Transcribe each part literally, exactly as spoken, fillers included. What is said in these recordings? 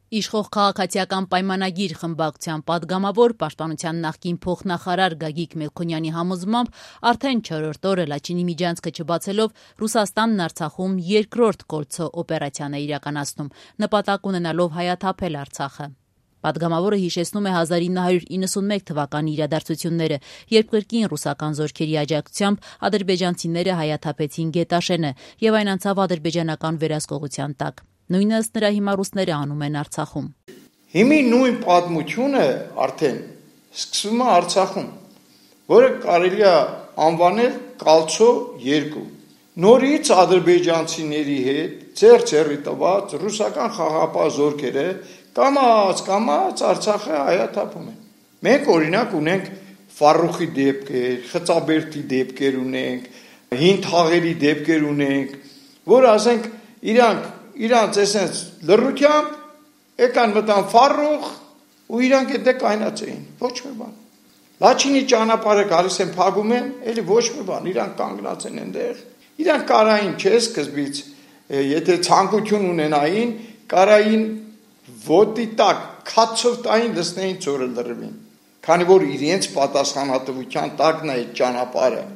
Իշխող քաղաքացիական պայմանագիր խմբակցության պատգամավոր պաշտպանության նախկին փոխնախարար Գագիկ Մելքոնյանի համոզմամբ արդեն չորրորդ օրը Լաչինի միջանցքը չբացելով Ռուսաստանն Արցախում երկրորդ կոլցո օպերացիան է իրականացնում, նպատակ ունենալով հայաթափել Արցախը։ Պատգամավորը հիշեցնում է հազար ինը հարյուր իննսունմեկ թվականի իրադարձությունները, երբ կրկին ռուսական զորքերի աջակցությամբ ադրբեջանցիները հայաթափեցին Գետաշենը եւ այն անցավ ադրբեջանական վերահսկողության տակ։ Նույնը ըստ նրա հիմա ռուսները անում են Արցախում։ Հիմի նույն պատմությունը արդեն սկսվում է Արցախում, որը կարելի է անվանել Կալցո երկու։ Նորից ադրբեջանցիների հետ ձեռ-ձեռի տված ռուսական խաղաղապահ զորքերը կամաց կամաց Արցախը հայաթափում են։ Մենք օրինակ ունենք Ֆարուխի դեպքեր, Խծաբերդի դեպքեր ունենք, հին թաղերի դեպքեր ունենք, որ ասենք իրանք իրանց այսպես լռությամբ եկան մտան Ֆարուխ ու իրանք այդ կայնած էին, ոչ մի բան։ Լաչինի ճանապարհը գալիս են փակում են, էլի ոչ մի բան, իրանք կանգնած են այնտեղ։ Իրանք կարային չէ սկզբից, եթե ցանկություն ունենային, կարային ոտի տակ քացով տային դեսնեին ծորը լրվին, քանի որ իրենց պատասխանատվության տակն է այդ ճանապարհը։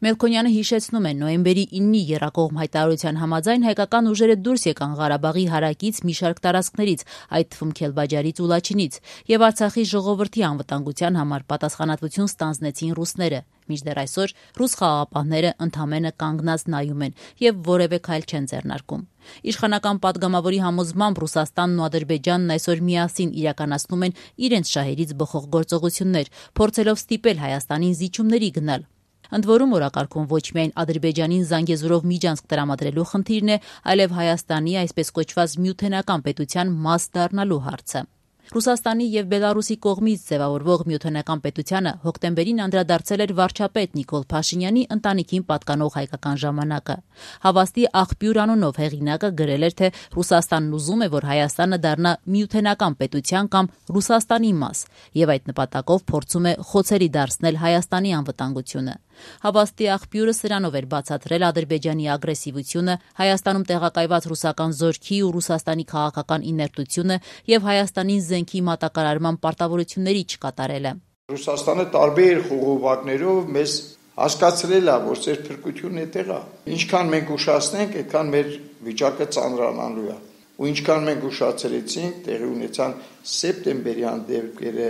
Մելքոնյանը հիշեցնում է նոյեմբերի իննի եռակողմ հայտարարության համաձայն հայկական ուժերը դուրս եկան Ղարաբաղի հարակից մի շարք տարածքներից, այդ թվում Քելբաջարից ու Լաչինից, եւ Արցախի ժողովրդի անվտանգության համար պատասխանատվություն ստանձնեցին ռուսները։ Մինչդեռ այսօր ռուս խաղաղապահները ընդամենը կանգնած նայում են եւ որևէ քայլ չեն ձեռնարկում։ Իշխանական պատգամավորի համոզմամբ Ռուսաստանն ու Ադրբեջանն այսօր միասին իրականացնում են իրենց շահերից բխող գործողություններ, փորձելով ստիպել Հայաստանին զիջումների գնալ։ Ընդ որում օրակարգում ոչ միայն Ադրբեջանին Զանգեզուրով միջանցք տրամադրելու խնդիրն է, այլև Հայաստանի այսպես կոչված միութենական պետության մաս դառնալու հարցը։ Ռուսաստանի եւ Բելարուսի կողմից ձևավորվող միութենական պետությանը հոկտեմբերին անդրադարձել էր վարչապետ Նիկոլ Փաշինյանի ընտանիքին պատկանող հայկական ժամանակը։ Հավաստի աղբյուր անունով հեղինակը գրել էր, թե Ռուսաստանն ուզում է, որ Հայաստանը դառնա միութենական պետության կամ Ռուսաստանի մաս, եւ այդ նպատակով փորձում է խոցելի դարձնել Հայաստանի անվտանգությունը։ Հավաստի աղբյուրը սրանով էր բացատրել Ադրբեջանի ագրեսիվությունը, Հայաստանում տեղակայված ռուսական զորքի ու Ռուսաստանի քաղաքական իներտությունը եւ Հայաստանի զենքի մատակարարման պարտավորությունների չկատարելը։ Ռուսաստանը տարբեր խողովակներով մեզ հասկացրել է, որ ծեր փրկությունն այդտեղ է։ Ինչքան մենք ուշացնենք, այդքան մեր վիճակը ծանրանալու է։ Ու ինչքան մենք ուշացրեցինք, տեղի ունեցան սեպտեմբերյան դեպքերը,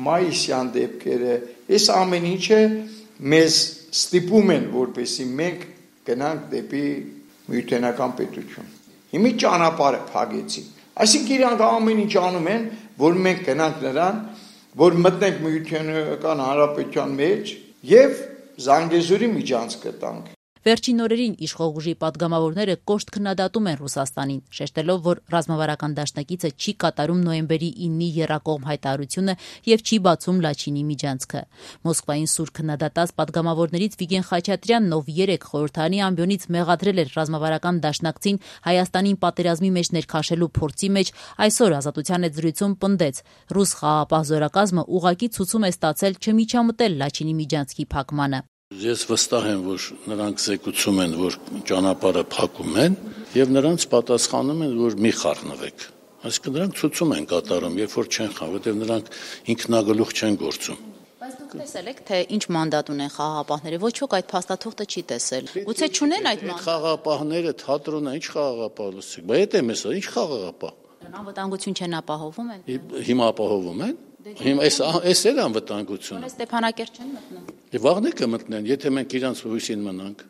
մայիսյան դեպքերը, այս ամեն ինչը մեզ ստիպում են, որպեսզի մենք գնանք դեպի միութենական պետություն։ Հիմի ճանապարհը փակեցին։ Այսինքն իրանք ամեն ինչ անում են, որ մենք գնանք նրան, որ մտնենք միութենական հանրապետության մեջ եւ Զանգեզուրի միջանցքը տանք։ Վերջին օրերին իշխող ուժի պատգամավորները կոշտ քննադատում են Ռուսաստանին, շեշտելով, որ ռազմավարական դաշնակիցը չի կատարում նոյեմբերի իննի եռակողմ հայտարարությունը եւ չի բացում Լաչինի միջանցքը։ Մոսկվային սուր քննադատած պատգամավորներից Վիգեն Խաչատրյանն, ով երեք խորհրդարանի ամբիոնից մեղադրել էր ռազմավարական դաշնակցին Հայաստանին պատերազմի մեջ ներքաշելու փորձի մեջ, այսօր Ազատության հետ զրույցում պնդեց. ռուս խաղաղապահ զորակազմը ուղղակի ցուցում է ստացել չմիջամտել Լաչինի միջանցքի փակմանը։ Ես վստահ եմ, որ նրանք զեկուցում են, որ ճանապարհը փակում են եւ նրանց պատասխանում են, որ մի խառնվեք։ Այսինքն նրանք ցուցում են կատարում, երբ որ չեն խաղ, որտեղ նրանք ինքնագլուխ չեն գործում։ Բայց դուք տեսել եք, թե ինչ մանդատ ունեն խաղաղապահները, ոչ ոք այդ փաստաթուղթը չի տեսել։ Գուցե չունեն այդ մանդատ։ Խաղաղապահները թատրոնը ինչ խաղաղապահ լսեք, բայց դա էս ինչ խաղաղապահ։ Անվտանգություն չեն ապահովում են։ Հիմա ապահովում են։ Հիմա այս այս էլ անվտանգությունը։ Ստեփանակերտ չեն մտնում։ Վաղն է կմտնեն, եթե մենք իրանց հույսին մնանք։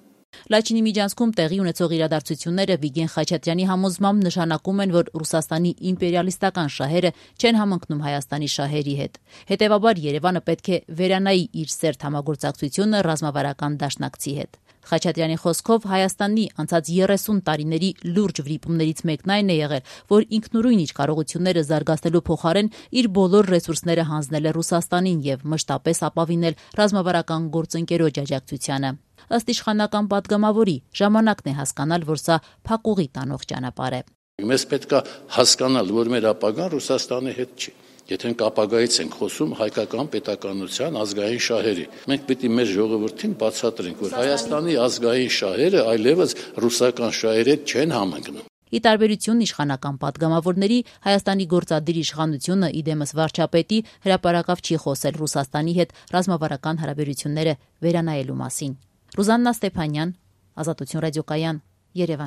Լաչինի միջանցքում տեղի ունեցող իրադարձությունները Վիգեն Խաչատրյանի համոզմամբ նշանակում են, որ Ռուսաստանի իմպերիալիստական շահերը չեն համընկնում Հայաստանի շահերի հետ։ Հետևաբար Երևանը պետք է վերանայի իր սերտ համագործակցությունը ռազմավարական դաշնակցի հետ։ Խաչատրյանի խոսքով Հայաստանի անցած երեսուն տարիների լուրջ վրիպումներից մեկն այն է եղել, որ ինքնուրույն իր կարողությունները զարգացնելու փոխարեն իր բոլոր ռեսուրսները հանձնել է Ռուսաստանին եւ մշտապես ապավինել ռազմավարական գործընկերոջ աջակցությանը։ Ըստ իշխանական պատգամավորի, ժամանակն է հասկանալ, որ սա փակուղի տանող ճանապարհ է։ Մեզ պետք է հասկանալ, որ մեր ապագան Ռուսաստանի հետ չի։ Եթե մենք ապագայից ենք խոսում հայկական պետականության ազգային շահերի, մենք պետք է մեր ժողովրդին բացատրենք, որ Հայաստանի ազգային շահերը այլևս ռուսական շահերի հետ չեն համընկնում։ Ի տարբերություն իշխանական պատգամավորների, Հայաստանի գործադիր իշխանությունը իդեմս վարչապետի հրապարակավ չի խոսել Ռուսաստանի հետ ռազմավարական հարաբերությունները վերանայելու մասին։ Ռուզաննա Ստեփանյան, Ազատություն ռադիոկայան, Երևան։